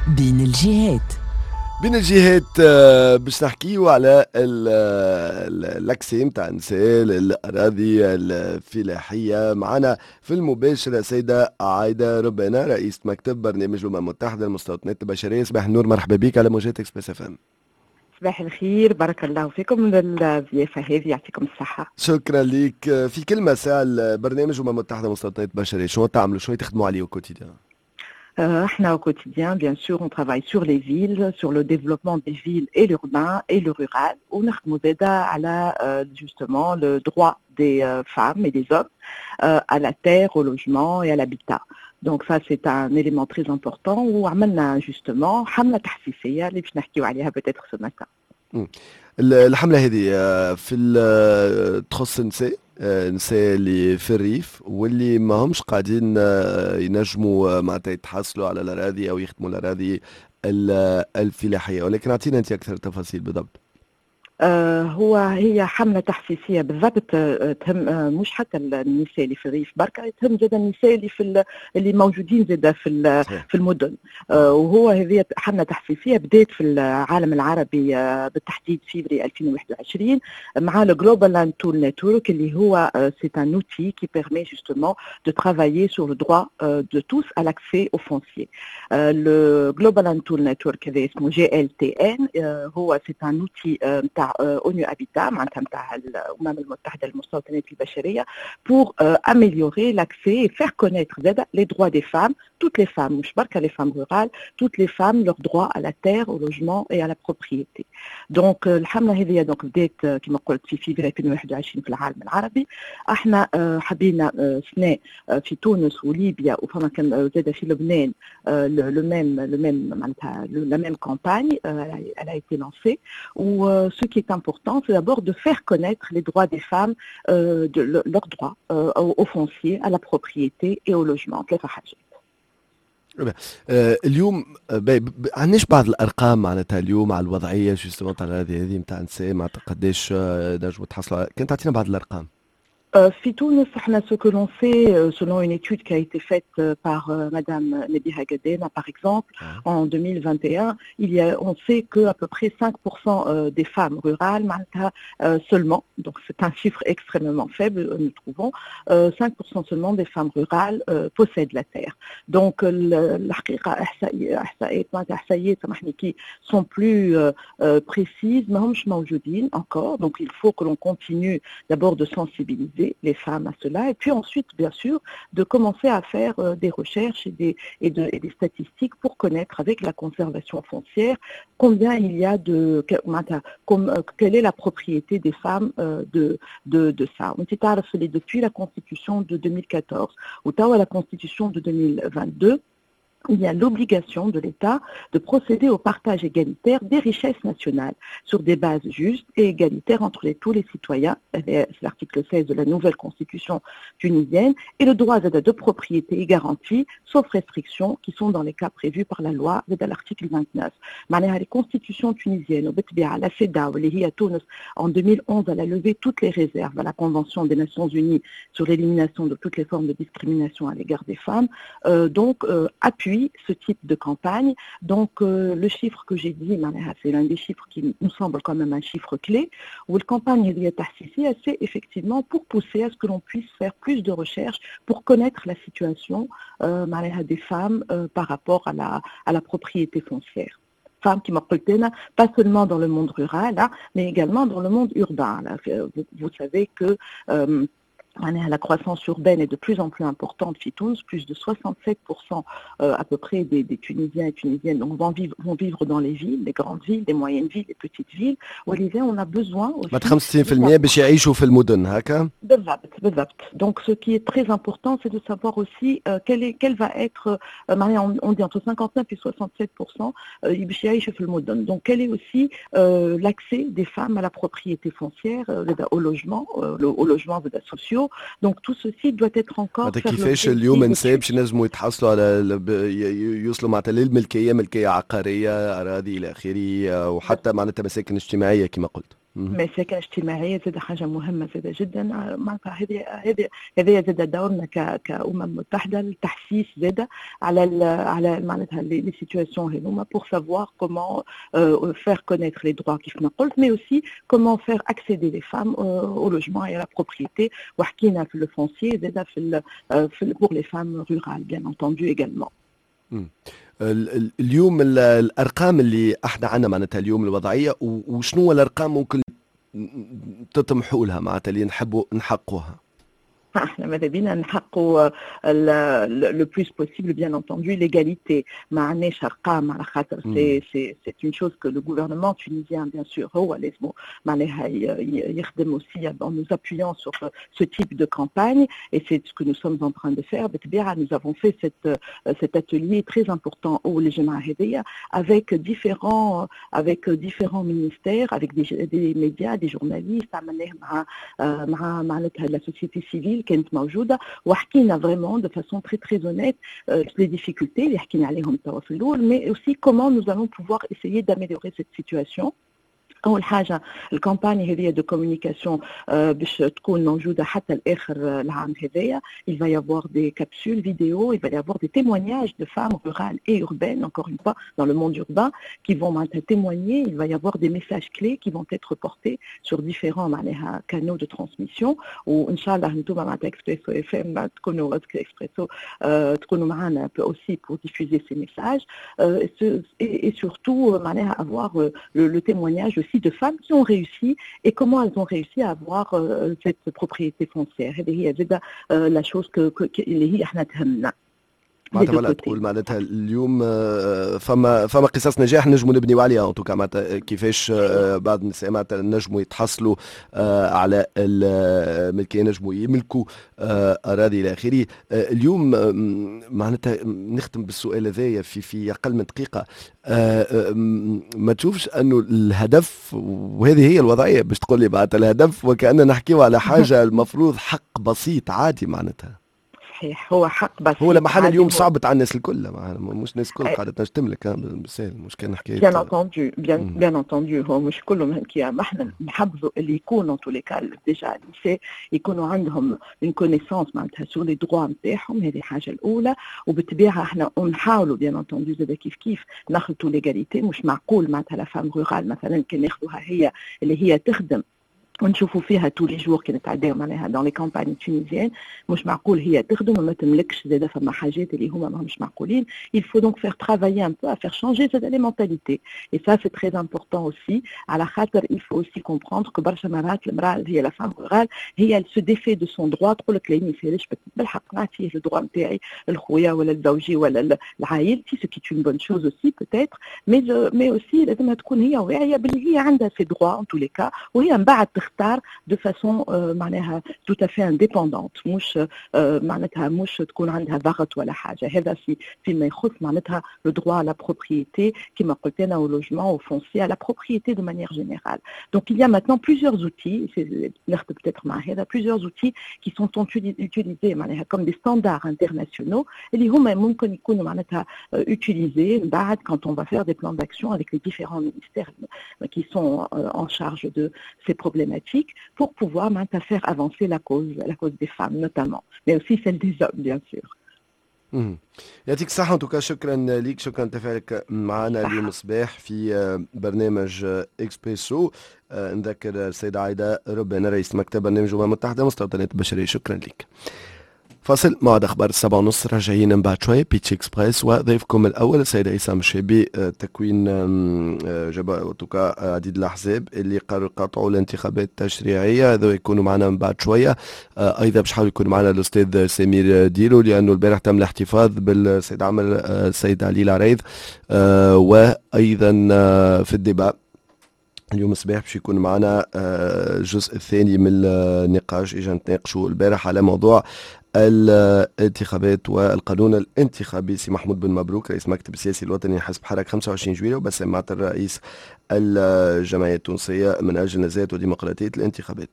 بين الجهات. بين الجهات، باش نحكيو على l'accès نتاع النساء للاراضي الفلاحيه. معنا في المباشر السيدة عايدة ربنا، رئيسة مكتب برنامج الامم المتحدة للمستوطنات البشريه. صباح النور، مرحبا بك على موجات Express FM. صباح الخير، بارك الله فيكم للضيافة هذه، يعطيكم الصحة. شكرا لك. في كلمة ساعة، برنامج الأمم المتحدة للمستوطنات البشرية شنو تعملوا؟ شنو تخدموا عليه quotidien؟ احنا au quotidien, bien sûr, on travaille sur les villes, sur le développement des villes et l'urbain et le rural. ونخدموا زادة على justement le droit des femmes et des hommes à la terre, au logement et à l'habitat. Donc ça, c'est un élément très important وعملنا justement حملة تحسيسية اللي باش نحكيو عليها peut-être ce matin. الحملة هذه في تخص النساء، النساء اللي في الريف واللي ما همش قاعدين ينجموا معناتها يتحصلوا على الاراضي او يخدموا الاراضي الفلاحيه، ولكن اعطينا انت اكثر تفاصيل بالضبط. هو هي حملة تحسيسية بالضبط، تهم مش حتى النساء اللي في الريف بركة، تهم زاد النساء اللي موجودين زاد في المدن. وهو هذه حملة تحسيسية بدات في العالم العربي بالتحديد فيفري 2021 مع le Global Land Tool Network، اللي هو c'est un outil qui permet justement de travailler sur le droit de tous à l'accès au foncier. Le Global Land Tool Network هذا اسمه GLTN، هو c'est un outil نتاع ONU Habitat، معناتها نتاع الامم المتحدة للمستوطنات البشريه، pour améliorer l'accès et faire connaître زاد les droits des femmes, toutes les femmes، مش بركة les femmes rurales, toutes les femmes, leurs droits à la terre, au logement et à la propriété. Donc الحملة هذه donc بدات كما قلت في فيفري 2021 في العالم العربي. احنا حبينا سنة في تونس وليبيا وفما كان زاد في لبنان le même معناتها la même campagne elle a été lancée. و ce qui est important, c'est d'abord de faire connaître les droits des femmes, de leurs droits au foncier, à la propriété et au logement. ثلاثة حاجات. اليوم عندناش بعض الارقام معناتها اليوم على الوضعية justement تاع هذه نتاع النساء، معناتها قداش نجموا تحصلوا؟ كان تعطينا بعض الارقام. في تونس احنا ce que l'on sait, selon une étude qui a été faite par Madame Nebiha Gadena par exemple en 2021, il y a, on sait que à peu près 5% des femmes rurales معناتها seulement, donc c'est un chiffre extrêmement faible nous trouvons, 5% seulement des femmes rurales possèdent la terre. Donc الحقيقة احصائيات معناتها احصائيات سامحني qui sont plus précises ماهمش موجودين encore. Donc il faut que l'on continue d'abord de sensibiliser les femmes à cela et puis ensuite, bien sûr, de commencer à faire des recherches et des statistiques pour connaître avec la conservation foncière combien il y a de معناتها quelle est la propriété des femmes de ça. وانت تعرف اللي depuis la constitution de 2014 وتوا la constitution de 2022, il y a l'obligation de l'État de procéder au partage égalitaire des richesses nationales sur des bases justes et égalitaires entre tous les citoyens. C'est l'article 16 de la nouvelle constitution tunisienne. Et le droit de propriété est garanti, sauf restrictions qui sont dans les cas prévus par la loi de l'article 29. معناها les constitutions tunisiennes, وبالطبيعة la CEDAW اللي هي تونس en 2011 elle a levé toutes les réserves à la Convention des Nations Unies sur l'élimination de toutes les formes de discrimination à l'égard des femmes, donc appuie ce type de campagne. Donc le chiffre que j'ai dit, معناها c'est l'un des chiffres qui nous semble quand même un chiffre clé, وال campagne هذه التحسيسية, c'est effectivement pour pousser à ce que l'on puisse faire plus de recherches pour connaître la situation معناها des femmes par rapport à la propriété foncière. Femmes كيما قلت أنا, pas seulement dans le monde rural, hein, mais également dans le monde urbain. Là, vous savez que معناها la croissance urbaine est de plus en plus importante في تونس, plus de 67% à peu près des Tunisiens et Tunisiennes donc, vont vivre dans les villes, les grandes villes, les moyennes villes, les petites villes. ولذا on a besoin aussi. 65% باش يعيشوا في المدن هكا؟ بالضبط بالضبط. Donc ce qui est très important, c'est de savoir aussi quel va être, معناها on dit entre 59 et 67% باش يعيشوا في المدن. Donc quel est aussi l'accès des femmes à la propriété foncière, au logement, au logement sociaux. Donc tout ceci doit être encore. كيفاش اليوم النساء باش ينجموا يتحصلوا على يوصلوا معناتها للملكيه، ملكية عقاريه، اراضي الى اخره، وحتى معناتها مساكن اجتماعية كما قلت. mais السكن الاجتماعي زاد حاجة مهمة زاد جدا. معناتها هذه زاد دورنا كأمم متحدة، التحسيس زاد على معناتها les situations هذوما pour savoir comment faire connaître les droits كيف ما قلت، mais aussi comment faire accéder les femmes au logement et à la propriété. وحكينا في le foncier زاد في pour les femmes rurales bien entendu également. اليوم الارقام اللي احنا عندنا، معناتها اليوم الوضعيه، وشنو الارقام ممكن تطمحوا لها، معناتها اللي نحبوا نحققوها؟ احنا ماذا بينا نحققوا le plus possible bien entendu l'égalité. ما عندناش ارقام على خاطر c'est une chose que le gouvernement tunisien bien sûr هو لازم معناها يخدم aussi en nous appuyant sur ce type de campagne et c'est ce que nous sommes en train de faire. بالطبيعة nous avons fait cet atelier très important اول الجمعة هذيا avec différents ministères، avec des médias، des journalistes. عملناه مع معناتها la société civile كانت موجوده، وحكينا vraiment de façon très très honnête les difficultés اللي حكينا عليهم توا في الاول، mais aussi comment nous allons pouvoir essayer d'améliorer cette situation. اول حاجة ال campagne هذه de communication باش تكون موجودة حتى الاخر العام هذايا. il va y avoir des capsules vidéo، il va y avoir des témoignages de femmes rurales et urbaines، encore une fois dans le monde urbain، qui vont معناتها témoigner. il va y avoir des messages clés qui vont être portés sur différents معناها canaux de transmission. وان شاء الله انتم معناتها Expresso FM تكونوا، اكسبريسو تكونوا معنا aussi pour diffuser ces messages et surtout معناها avoir le témoignage aussi de femmes qui ont réussi et comment elles ont réussi à avoir cette propriété foncière. هذه هي زادة la chose que اللي هي احنا تهمنا. معناتها ولا تقول معناتها اليوم فما قصص نجاح نجموا نبنيو عليها en tout cas، معناتها كيفاش بعض النساء معناتها نجموا يتحصلوا على الملكيه، نجموا يملكوا اراضي الى اخره. اليوم معناتها نختم بالسؤال هذايا في اقل من دقيقه، ما تشوفش انه الهدف، وهذه هي الوضعية باش تقول لي معناتها الهدف، وكأننا نحكيو على حاجة المفروض حق بسيط عادي معناتها؟ صحيح، هو حق بسيط. هو لما حال اليوم صعبت على الناس الكل، مش الناس الكل قاعدة تنجم تملك بالسهل، مش كان حكايه. bien entendu، bien bien entendu، هو مش كلهم كي ما احنا نحبذوا اللي يكونوا tous les cas déjà النساء يكونوا عندهم une connaissance معناتها sur les droits نتاعهم. هذه الحاجة الاولى. وبالطبيعه احنا نحاولوا bien entendu زاد كيف كيف نخلطوا l'égalité. مش معقول معناتها la femme rurale مثلا كان ناخذوها هي اللي هي تخدم ونشوفوا فيها tous les jours كي نتعداو معناها dans les campagnes tunisiennes، مش معقول هي تخدم وما تملكش زاده. فما حاجات اللي هما ماهمش معقولين. il faut donc faire travailler un peu à faire changer زاده les mentalités et ça c'est très important aussi، على خاطر il faut aussi comprendre que برشا مرات المراة هي la femme rurale هي elle se défait de son droit، تقول لك لا ما يسالش، بالحق نعطيه le droit نتاعي لخويا ولا لزوجي ولا لعائلتي، ce qui est une bonne chose aussi peut-être، mais aussi لازمها تكون هي واعية باللي هي عندها ses droits en tous les cas، وهي من بعد تختار de façon معناها tout à fait indépendante، مش معناتها مش تكون عندها ضغط ولا حاجه. هذا فيما يخص معناتها le droit à la propriété كما قلت انا، au logement، au foncier، à la propriété de manière générale. donc il y a maintenant plusieurs outils، peut-être مع هذا plusieurs outils qui sont utilisés معناها comme des standards internationaux اللي هما ممكن يكونوا معناتها utilisés بعد quand on va faire des plans d'action avec les différents ministères qui sont en charge de ces problématiques pour pouvoir معناتها faire avancer la cause des femmes notamment، mais aussi celle des hommes bien sûr. يعطيك الصحة en tout cas، شكرا ليك، شكرا تفاعلك معنا اليوم الصباح في برنامج اكسبريسو. نذكر السيدة عايدة ربنا، رئيس مكتب برنامج الأمم المتحدة مستوطنات البشرية. شكرا لك. فاصل، موعد اخبار 7:30، راجعين من بعد شوي Pitch Express وضيفكم الاول السيد عصام الشابي. تكوين جبهة عديد الاحزاب اللي قرروا قاطعوا الانتخابات التشريعيه، هذا يكونوا معنا من بعد شويه. ايضا باش حاول يكون معنا الاستاذ سمير ديلو، لانه البارح تم الاحتفاظ بالسيد عمل السيد علي العريض. وايضا في ال débat اليوم الصباح باش يكون معنا الجزء الثاني من النقاش، اجا نتناقشوا البارح على موضوع الانتخابات والقانون الانتخابي، سي محمود بن مبروك رئيس مكتب السياسي الوطني حزب حراك 25 جويلية، وبسام معطر رئيس الجمعية التونسية من أجل نزاهة وديمقراطية الانتخابات.